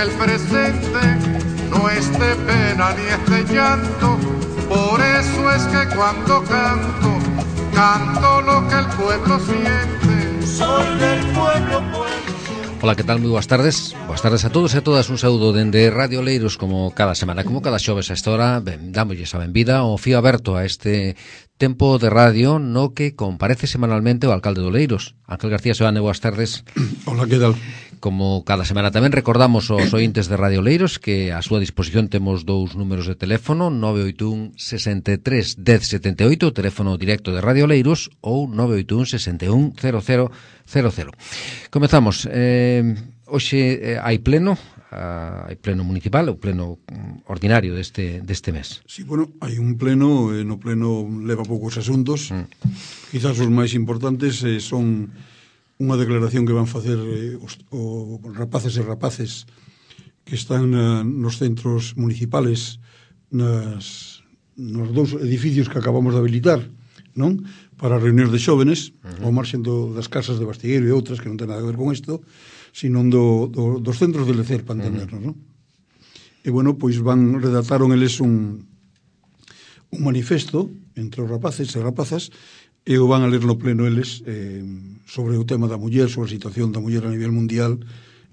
el presente no es de pena ni es de llanto. Por eso es que cuando canto, canto lo que el pueblo siente. Soy del pueblo, Ola, que tal? Moi boas tardes. Boas tardes a todos e a todas. Un saúdo dende Radio Oleiros, como cada semana, como cada xoves a esta hora. Dámoslle a benvida ao fío aberto a este tempo de radio no que comparece semanalmente o alcalde de Oleiros, Ángel García Seoane. Boas tardes. Hola, que tal? Como cada semana tamén recordamos aos ointes de Radio Oleiros que a súa disposición temos dous números de teléfono, 981 63 10 78, o teléfono directo de Radio Oleiros, ou 981 61 00 00. Comezamos. Hoxe hai pleno municipal, o pleno ordinario deste mes. Sí, bueno, hai un pleno, no pleno leva poucos asuntos. Quizás os máis importantes son unha declaración que van facer os rapaces e rapaces que están nos centros municipales, nos dous edificios que acabamos de habilitar, non? Para reunións de xóvenes, ao marxen das casas de Bastigueiro e outras que non ten nada a ver con isto, sino dos centros de lecer, para entendernos, non? E, bueno, pois redactaron eles un manifesto entre os rapaces e rapazas e o van a ler no pleno eles sobre o tema da muller, sobre a situación da muller a nivel mundial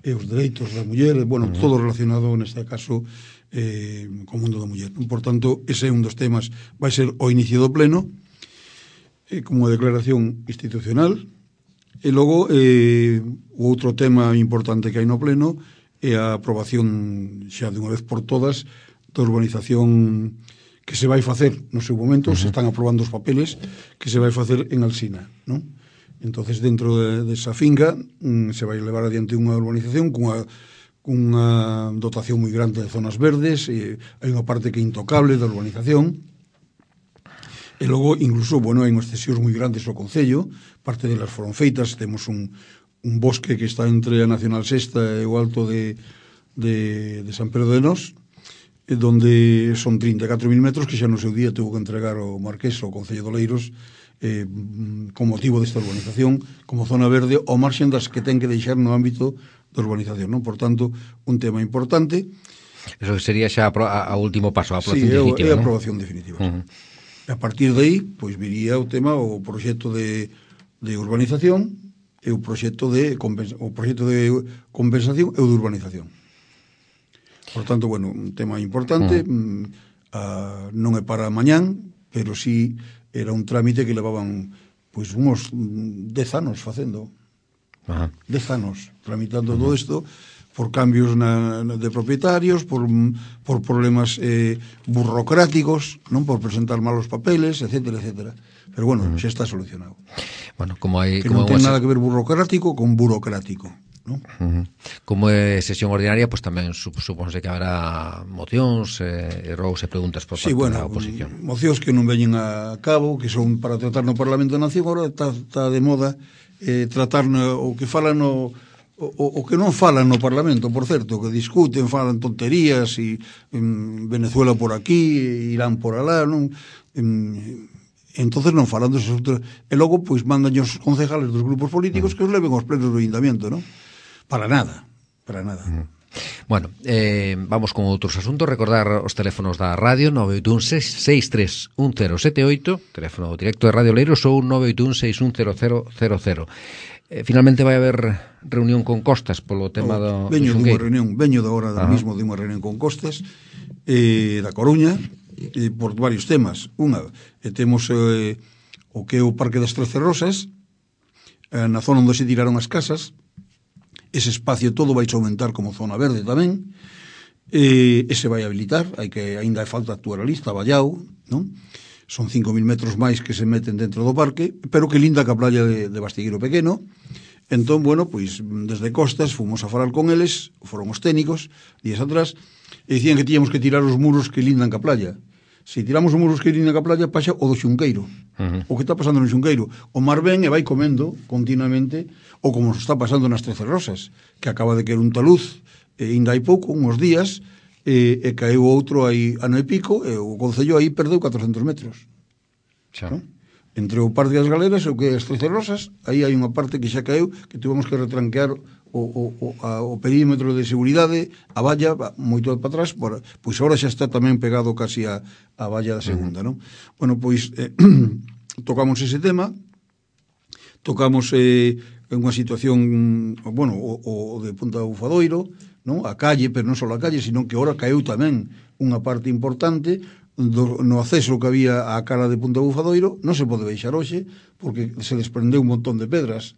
e os dereitos da muller, bueno, todo relacionado neste caso co mundo da muller. Por tanto, ese é un dos temas, vai ser o inicio do pleno como declaración institucional. E logo o outro tema importante que hai no pleno é a aprobación xa de unha vez por todas da urbanización que se vai facer no seu momento, se están aprobando os papeles que se vai facer en Alsina, non? Entonces, dentro desa finca se vai levar adiante unha urbanización cunha dotación moi grande de zonas verdes, e hai unha parte que é intocable da urbanización. E logo, incluso, bueno, hai unhas cesións moi grandes ao Concello, parte delas foron feitas, temos un bosque que está entre a Nacional Sexta e o alto de San Pedro de Nós, donde son 34.000 metros que xa no seu día tuvo que entregar o Marqués ao Concello de Oleiros con motivo desta urbanización como zona verde ao marxen das que ten que deixar no ámbito da urbanización, non? Por tanto, un tema importante. Eso sería xa a último paso, a aprobación definitiva, é a aprobación definitiva. A partir de aí, pois viría o tema, o proxecto de urbanización e o proxecto de compensación e o de urbanización. Por tanto, bueno, un tema importante, non é para mañán, pero sí era un trámite que levaban pois uns 10 anos facendo. 10 anos tramitando todo isto por cambios de propietarios, por problemas burocráticos, non, por presentar malos papeles, etcétera, etcétera. Pero bueno, xa está solucionado. Bueno, como hai que non ten nada que ver burocrático con burocrático, non? Como é sesión ordinaria, pois tamén supónse que haberá mocións e rogos e preguntas por parte da oposición. Mocións que non veñen a cabo, que son para tratar no Parlamento da Nación. Agora está de moda tratar o que falan o que non falan no Parlamento, por certo, que discuten, falan tonterías, e Venezuela por aquí, Irán por alá, non? Entonces non falan dos asuntos, e logo pois mandan os concejales dos grupos políticos que os leven aos plenos do Ayuntamiento, non? Para nada. Bueno, vamos con outros asuntos. Recordar os teléfonos da radio, 981 63 1078, teléfono directo de Radio Oleiros, ou 981 61 0000. Finalmente vai haber reunión con Costas polo tema do Xungueiro. Veño da hora mismo de unha reunión con Costas da Coruña por varios temas. Temos o que é o Parque das 13 Rosas, na zona onde se tiraron as casas. Ese espacio todo vai aumentar como zona verde tamén, e se vai habilitar. Ainda falta actuar a lista, Vallao, non? Son 5.000 metros máis que se meten dentro do parque, pero que linda que a playa de Bastigueiro Pequeno. Entón, bueno, pois desde Costas fomos a falar con eles, foron os técnicos días atrás, e dicían que tíamos que tirar os muros que lindan ca playa. Se tiramos os muros que lindan ca playa, pasa o do Xunqueiro. O que está pasando no Xunqueiro. O mar ven e vai comendo continuamente, ou como está pasando nas 13 Rosas, que acaba de caer un taluz, ainda hai pouco, uns días, e caeu outro aí ano e pico, e o Concello aí perdeu 400 metros. Xa. Entre o Parque das Galeras e o que é as Trece Rosas, aí hai unha parte que xa caeu, que tivemos que retranquear o perímetro de seguridade, a valla moito para atrás, pois agora xa está tamén pegado casi a valla da segunda, non? Bueno, pois tocamos ese tema, tocamos unha situación, bueno, o de Punta do Bufadoiro, non? A calle, pero non só a calle, sino que agora caeu tamén unha parte importante no acceso que había á cala de Punta do Bufadoiro. Non se pode baixar hoxe porque se desprendeu un montón de pedras.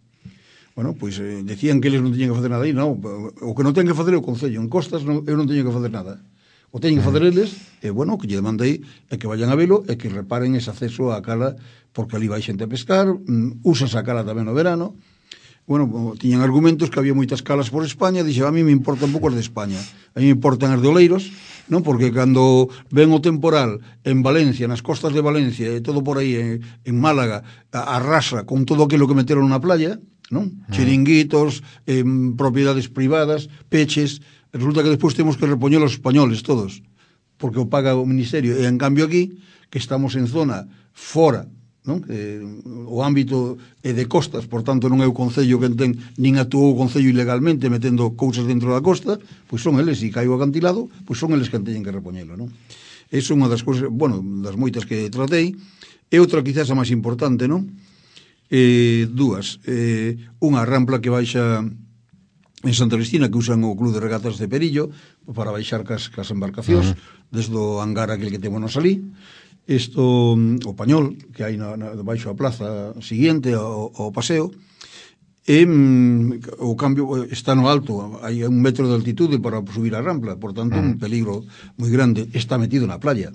Bueno, pois decían que eles non tiñan que facer nada aí. Non, o que non ten que facer é o Concello. En Costas eu non teño que facer nada. O teñen que facer eles, e bueno, o que lle demandei é que vayan a velo e que reparen ese acceso á cala, porque ali vai xente a pescar, usa esa cala tamén no verano. Bueno, tiñan argumentos que había moitas calas por España, dixe, a mí me importan pouco as de España, a mí me importan as de Oleiros, non? Porque cando ven o temporal en Valencia, nas costas de Valencia e todo por aí en Málaga, arrasa con todo aquilo que meteron na playa, non? Chiringuitos, propiedades privadas, peches, resulta que despois temos que repoñer os españoles todos, porque o paga o Ministerio, e en cambio aquí, que estamos en zona fora, non? O ámbito é de costas, por tanto non é o Concello que ten, nin actuou o Concello ilegalmente metendo cousas dentro da costa, pois son eles, e caiu o acantilado, pois son eles que teñen que repoñelo, non? Esa é unha das cousas, bueno, das moitas que tratei. E outra quizás a máis importante, non? Dúas, unha rampla que baixa en Santa Cristina, que usan o Club de Regatas de Perillo para baixar cas embarcacións, desde o hangar aquel que temos ali. Isto, o Pañol, que hai baixo a plaza siguiente ao paseo, e o cambio está no alto, hai 1 metro de altitude para subir a rampla, por tanto un peligro moi grande, está metido na playa.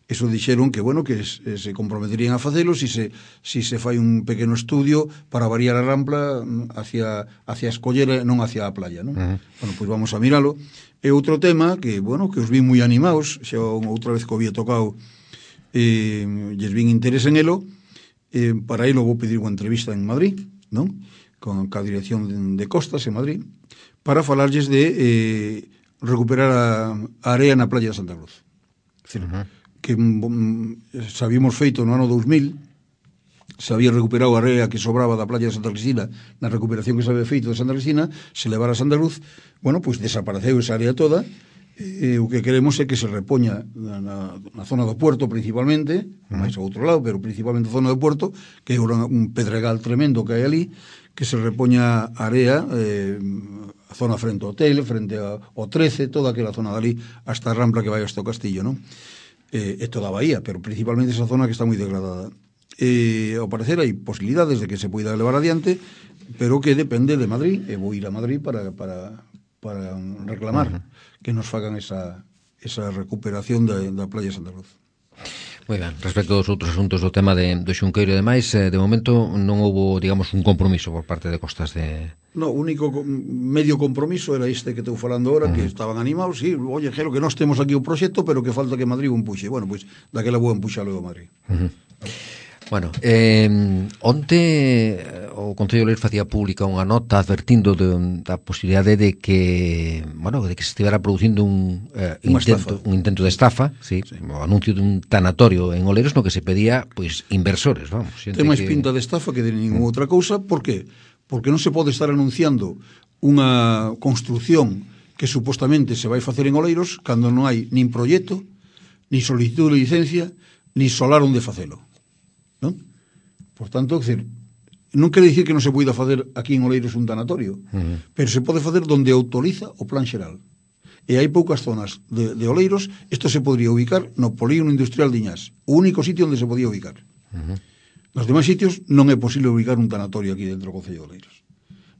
Eso dixeron que, bueno, que se comprometerían a facelo si se fai un pequeno estudio para variar a rampla hacia a escollera, non hacia a playa, non? Bueno, pois vamos a miralo. E outro tema que, bueno, que os vi moi animados, xa outra vez que o había tocado, lles vin interés en elo, para elo vou pedir unha entrevista en Madrid, non? Con a dirección de Costas en Madrid, para falarlles de recuperar a area na playa de Santa Cruz. É dicir, que se habíamos feito no ano 2000, se había recuperado a area que sobraba da playa de Santa Cristina, na recuperación que se había feito de Santa Cristina, se levara a Santa Cruz, bueno, pois desapareceu esa área toda. O que queremos é que se repoña na zona do Puerto principalmente, máis ao outro lado, pero principalmente a zona do Puerto, que é un pedregal tremendo que hai ali, que se repoña a area, a zona frente ao hotel, frente ao 13, toda aquela zona dali, hasta a rampla que vai hasta o Castillo, non? E toda a bahía, pero principalmente esa zona que está moi degradada. Ao parecer hai posibilidades de que se poida levar adiante, pero que depende de Madrid, e vou ir a Madrid para reclamar que nos fagan esa recuperación da playa de Santa Cruz. Moi ben, respecto aos outros asuntos do tema do Xunqueiro e demais, de momento non houbo, digamos, un compromiso por parte de Costas de... No, o único medio compromiso era este que estou falando ahora, que estaban animados, sí, oye, Gelo, que nós temos aquí o proxecto, pero que falta que Madrid o empuxe. Bueno, pois, daquela vou empuxalo a Madrid. Bueno, onte o Concello de Leiros facía pública unha nota advertindo da posibilidade de que, bueno, de que se estivera producindo un intento de estafa, sí. O anuncio dun tanatorio en Oleiros no que se pedía, pois, inversores, vamos. Ten máis pinta de estafa que de ninguna outra cousa. Por qué? Porque non se pode estar anunciando unha construción que supostamente se vai facer en Oleiros cando non hai nin proxecto, ni solicitud de licencia, ni solar onde facelo. Non? Por tanto, non quere dicir que non se poida facer aquí en Oleiros un tanatorio, pero se pode facer donde autoriza o plan xeral. E hai poucas zonas de Oleiros, isto se podría ubicar no polígono industrial de Iñás, o único sitio onde se podía ubicar. Nos demais sitios non é posible ubicar un tanatorio aquí dentro do Concello de Oleiros,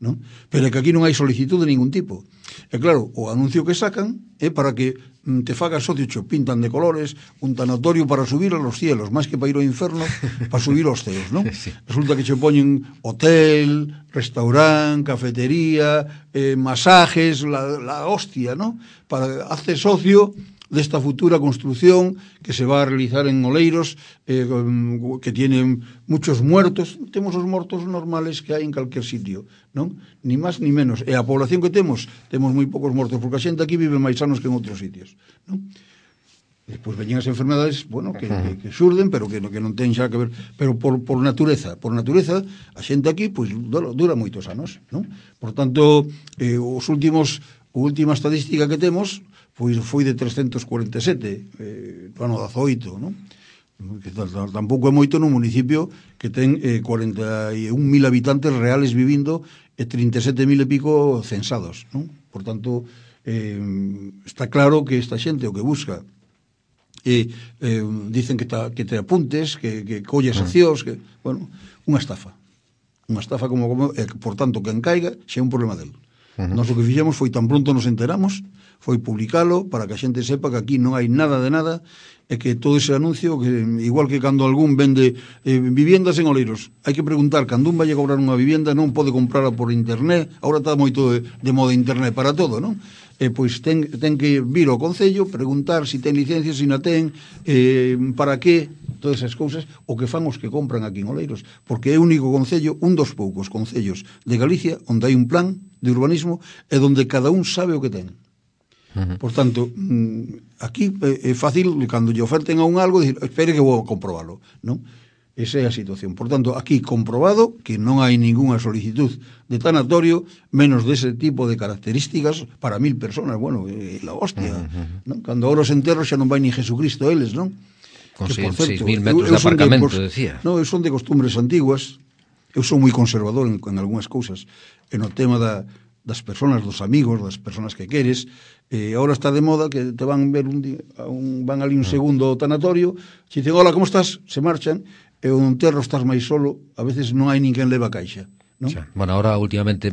non? Pero é que aquí non hai solicitud de ningún tipo. E claro, o anuncio que sacan é para que te fagas socio, cho pintan de colores un tanatorio para subir a los cielos, máis que para ir ao inferno, para subir aos ceos, non? Sí. Resulta que che poñen hotel, restaurante, cafetería, masajes, la hostia, non? Para hacer socio desta futura construción que se va a realizar en Oleiros, que tienen muchos muertos. Temos os mortos normales que hai en calquer sitio, non? Ni máis ni menos. E a población que temos moi poucos mortos, porque a xente aquí vive máis anos que en outros sitios, non? Despois veñen as enfermedades, bueno, que xurden, pero que non ten xa que ver, pero por natureza, a xente aquí pois dura moitos anos, non? Por tanto, a última estadística que temos pois foi de 347 no ano 18, non? Que tampouco é moito nun municipio que ten 41.000 habitantes reales vivindo e 37.000 e pico censados, non? Por tanto, está claro que esta xente o que busca dicen que te apuntes, que colles accións, que, bueno, unha estafa como por tanto, quen caiga xa é un problema del. Nós o que fixemos foi, tan pronto nos enteramos, foi publicalo para que a xente sepa que aquí non hai nada de nada, e que todo ese anuncio, que igual que cando algún vende viviendas en Oleiros, hai que preguntar, cando un vai a cobrar unha vivienda non pode comprarla por internet, agora está moito de moda internet para todo, non? Pois ten que vir ao Concello, preguntar se ten licencia, se non ten, para que, todas esas cousas, o que fan os que compran aquí en Oleiros, porque é o único concello, un dos poucos concellos de Galicia, onde hai un plan de urbanismo e onde cada un sabe o que ten. Por tanto, aquí é fácil, cando lle oferten a un algo, dicir, espere que vou a comprobalo, non? Esa é a situación. Por tanto, aquí comprobado que non hai ninguna solicitud de tanatorio, menos dese tipo de características para 1.000 personas. Bueno, la hostia, non? Cando ahora os enterros xa non vai ni Jesucristo eles, non? Con 6.000 metros de aparcamento, decía. Non, son de costumbres antiguas. Eu son moi conservador en algunhas cousas. En o tema das personas, dos amigos, das personas que queres. Ahora está de moda que te van ver van ali un segundo ao tanatorio, se dicen, hola, como estás? Se marchan, e o enterro estás máis solo, a veces non hai ninguén leva a caixa, non? Bueno, ahora últimamente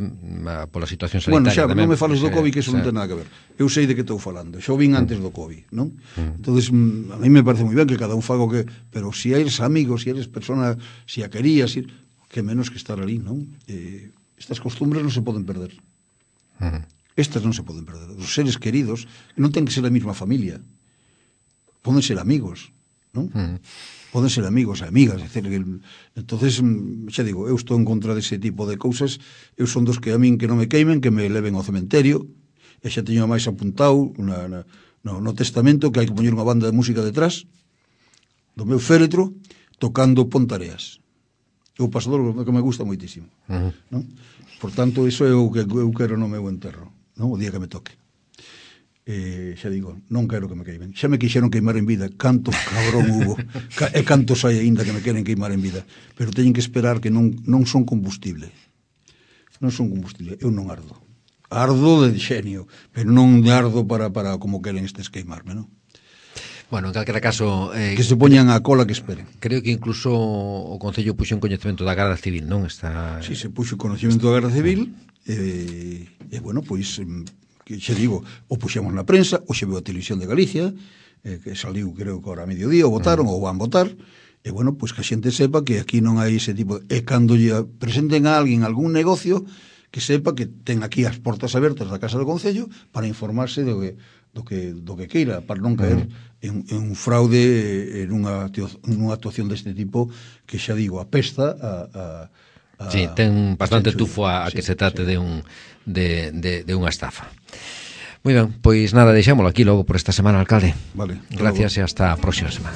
pola situación sanitaria. Bueno, xa, non me fales do COVID, que eso non ten nada que ver. Eu sei de que estou falando, xo vin antes do COVID, non? Entonces, a mí me parece moi ben que cada un faga o que, pero se eres amigo, se eres persona, se a querías, que menos que estar ali, non? Estas costumbres non se poden perder. Estas non se poden perder. Os seres queridos non ten que ser a mesma familia, poden ser amigos, non? Poden ser amigos e amigas, entonces, xa digo, eu estou en contra dese tipo de cousas. Eu son dos que a min que non me queimen, que me leven ao cementerio, e xa teño máis apuntado no testamento que hai que poñer unha banda de música detrás do meu féretro tocando Pontareas. É o pasador que me gusta moitísimo, non? Por tanto, iso é o que eu quero no meu enterro, non? O día que me toque. Xa digo, non quero que me queimen. Xa me quixeron queimar en vida, canto cabrón hubo, e cantos hai aínda que me queren queimar en vida, pero teñen que esperar que non son combustible. Non son combustible, eu non ardo. Ardo de xenio, pero non de ardo para como queren estes queimarme, non? Bueno, en calquera caso... que se poñan a cola que esperen. Creo que incluso o Concello puxo en coñecemento da Garda Civil, non? Sí, se puxo en coñecemento da Garda Civil, bueno, pois... que xe digo, o puxemos na prensa, o xe veo a Televisión de Galicia, que saliu, creo que ahora a mediodía, o votaron, ou van votar, e bueno, pois que a xente sepa que aquí non hai ese tipo e cando lle presenten a alguén algún negocio, que sepa que ten aquí as portas abertas da Casa do Concello para informarse do que queira, para non caer en un fraude, en unha actuación deste tipo, que xa digo, apesta a sí, ten bastante tufo a que se trate de unha estafa. Moi ben, pois nada, deixámoslo aquí logo por esta semana, alcalde. Vale. Gracias e hasta a próxima semana.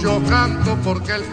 Yo canto porque el